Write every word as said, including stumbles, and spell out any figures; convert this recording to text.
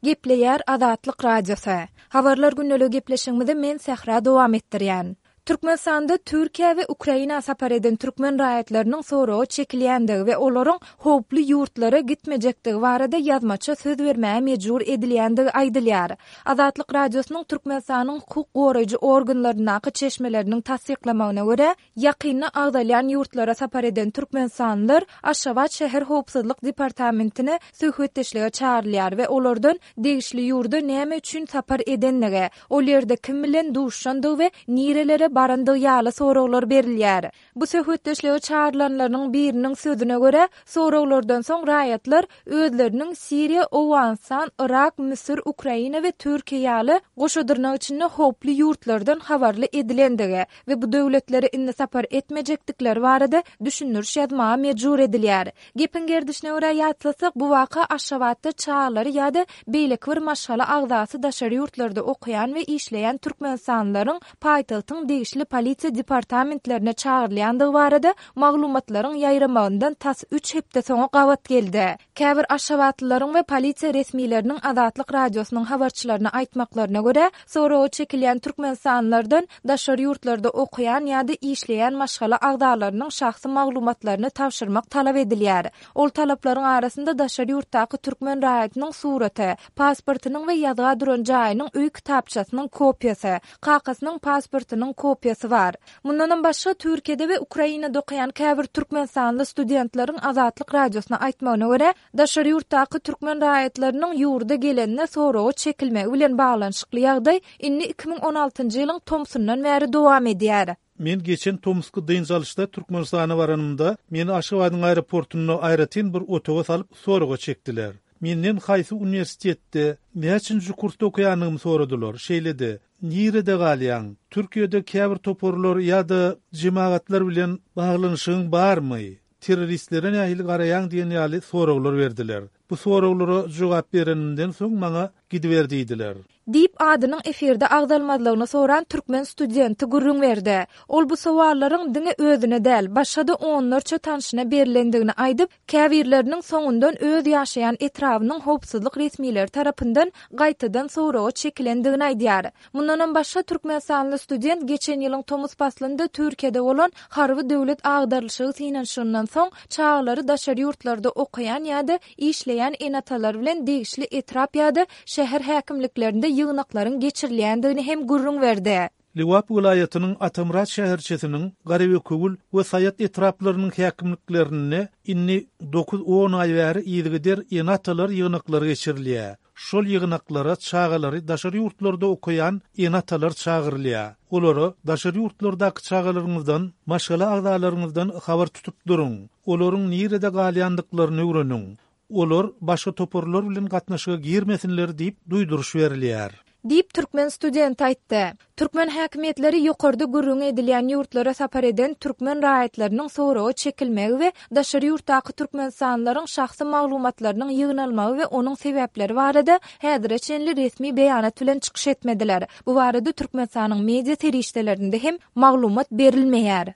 Gepleýär Azatlyk Radiosy. Habarlar gündeligi gepleşigimizi men Sähra dowam etdirýän. Türkmenistanda Türkiýä we Ukraina sapar eden türkmen raýatlarynyň soraga çekilýändigi we olaryň howply ýurtlara gitmejekdigi barada ýazmaça söz bermäge mejbur edilýändigi aýdylýar. Azatlyk Radiosynyň Türkmenistanyň hukuk goraýjy organlaryndaky çeşmeleriniň tassyklamagyna görä, ýakynda agzalýan ýurtlara sapar eden türkmenistanlylar Aşgabat şäher howpsuzlyk departamentine söhbetdeşlige çagyrylýar we olardan degişli ýurda näme üçin sapar edenligi, ol ýerde kim bilen duşandygy we nirelere barandygy ýaly soraglar berilýär. Bu söhbetdeşlige çagyrylanlaryň biriniň sözüne görä, soraglardan soň raýatlar özleriniň Siriýa, Owganystan, Yrak, Müsür, Ukraina we Türkiýe ýaly goşa dyrnak içinde howply ýurtlardan habarly edilendigi we bu döwletlere indi sapar etmejekdikleri barada düşündiriş ýazmaga mejbur edilýär. Gepiň gerdişine görä ýatlasak, bu waka Aşgabatda çagalary ýa-da beýleki bir maşgala agzasy daşary ýurtlarda okaýan we işleýän türkmenistanlylaryň paýtagtyň degişli polisiýa departamentlerine çagyrylýandygy barada maglumatlaryň ýaýramagyndan tas üç hepde soňa gabat geldi. Käbir aşgabatlylaryň we polisiýa resmileriniň Azatlyk Radiosynyň habarçylaryna aýtmaklaryna görä, soraga çekilýän türkmenistanlylardan daşary ýurtlarda okaýan ýa-da işleýän maşgala agzalarynyň şahsy maglumatlaryny tabşyrmak talap edilýär. Ol talaplaryň arasynda daşary ýurtdaky türkmen raýatynyň suraty, pasportynyň we ýazga duran jaýynyň öý kitapçasynyň kopiýasy, kakasynyň pasportynyň kopiýasy bar. Mundanam başga Türkiýede we Ukrainada okaýan käbir türkmenistanly studentleriň Azatlyk Radiosyna aýtmagyna görä, daşary ýurtdaky türkmen raýatlarynyň ýurda gelenine soraga çekilmegi bilen baglanyşykly ýagdaý indi iki müň on altynjy ýylyň tomsundan bäri dowam edýär. Men geçen tomusky dynç alyşda Türkmenistana baranymda meni Aşgabadyň aeroportunda aýratyn bir otaga salyp soraga çekdiler. Menden haýsy uniwersitetde näçinji kursda okaýanymy soradylar. Şeýle-de, nirede galýaň? Türkiýede käbir toparlar ýa-da jemagatlar bilen baglanyşygyň barmy? Terroristlere nähili garaýaň diýen ýaly soraglar berdiler. Bu soraglara jogap berenimden soň maňa gidiber diýdiler. Diýip adynyň efirde agzalmazlygyny soran türkmen studenti gürrüň berdi. Ol bu sowallaryň diňe özüne däl, başga-da onlarça tanşyna berilendigini aýdyp, käbirleriniň soňundan öz ýaşaýan etrabynyň howpsuzlyk resmileri tarapyndan gaýtadan soraga çekilendigini aýdýar. Mundanam başga türkmenistanly student geçen ýylyň tomus paslynda Türkiýede bolan harby döwlet agdarylyşygy synanyşygyndan soň çagalary daşary ýurtlarda okaýan ýa-da işleýän ene-atalar bilen degişli etrap ýa-da şäher häkimliklerinde ýygnaklaryň geçirilýändigini hem gürrüň berdi. Lebap welaýatynyň Atamyrat şäherçesiniň Garabekewül we Saýat etraplarynyň häkimliklerinde indi dokuz-on aý bäri yzygider ene-atalar ýygnaklary geçirilýär. Şol ýygnaklara çagalary daşary ýurtlarda okaýan ene-atalar çagyrylýar. Olara daşary ýurtlardaky çagalaryňyzdan, maşgala agzalaryňyzdan habar tutup duruň. Olaryň nirede galýandyklaryny öwreniň. Olar başga toparlar bilen gatnaşyga girmesinler diýip duýduryş berilýär. Diýip türkmen studenti aýtdy. Türkmen häkimiýetleri ýokarda gürrüň edilýän ýurtlara sapar eden türkmen raýatlarynyň soraga çekilmegi we daşary ýurtdaky türkmenistanlylaryň şahsy maglumatlarynyň ýygnalmagy we onuň sebäpleri barada häzire çenli resmi beýanat bilen çykyş etmediler. Bu barada Türkmenistanyň media serişdelerinde hem maglumat berilmeýär.